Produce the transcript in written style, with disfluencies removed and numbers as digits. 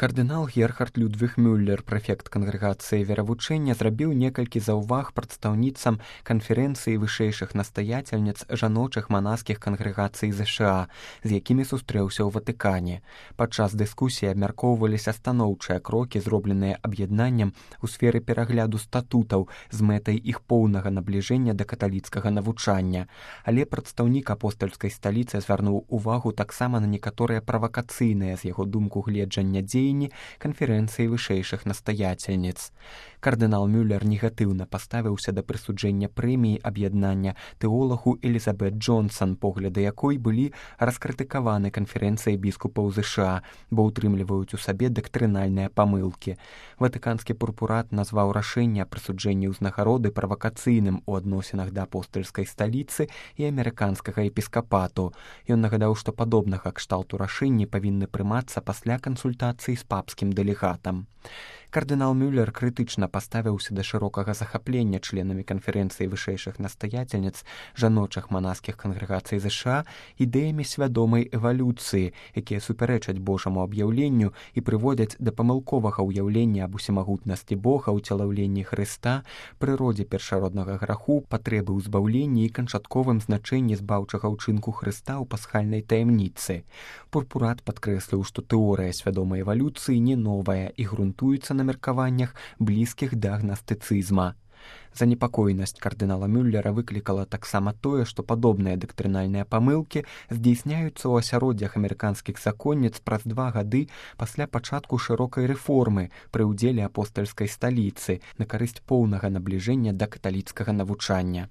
Кардынал Герхард Людвіг Мюллер, прэфект кангрэгацыі веравучэння, зрабіў некалькі заўваг прадстаўніцам канферэнцыі вышэйшых настаяцельніц жаночых манаскіх кангрэгацый ЗША, з якімі сустрэўся ў Ватыкане. Падчас дыскусіі абмяркоўваліся станоўчыя крокі, зробленыя аб'яднаннем у сферы перагляду статутаў з мэтай іх поўнага набліжэння да каталіцкага навучання. Але прадстаўнік апостальскай сталіцы звярнуў увагу таксама на некаторыя правакацыйныя з яго думку гледжання дзеянні канферэнцыі вышэйшых настаяцельніц. Кардынал Мюллер негатыўна паставіўся да прысуджэння прэміі аб'яднання тэолагу Элізабет Джонсон, погляды якой былі раскрытыкаваны канферэнцыяй біскупаў ЗША, бо ўтрымліваюць у сабе дактрынальныя памылкі. Ватыканскі пурпурат назваў рашэнне аб прысуджэнні ўзнагароды правакацыйным у адносінах да апостальскай сталіцы і амерыканскага епіскапату. Ён нагадаў, што падобнага кшталту рашэнні павінны прымацца пасля кансультацыі з папскім дэлегатам. Кардынал Мюллер крытычна паставіўся да шырокага захаплення членамі канферэнцыі вышэйшых настаяцельніц жаночых манаскіх кангрэгацый ЗША ідэямі свядомай эвалюцыі, якія супярэчаць Божаму аб'яўленню і прыводзяць да памылковага ўяўлення аб усемагутнасці Бога, уцелаўленні Хрыста, прыродзе першароднага граху, патрэбы ўзбаўлення і канчатковым значэнні збаўчага ўчынку Хрыста ў пасхальнай таямніцы. Пурпурат падкрэсліў, што тэорыя свядомай эвалюцыі не новая і грунтуецца на меркаваннях, блізкіх да гнастыцызма. Занепакоенасць кардынала Мюллера выклікала таксама тое, што падобныя дактрынальныя памылкі здзейсняюцца ў асяроддзях амерыканскіх законніц праз 2 гады пасля пачатку шырокай рэформы пры ўдзеле апостальскай сталіцы на карысць поўнага набліжэння да каталіцкага навучання.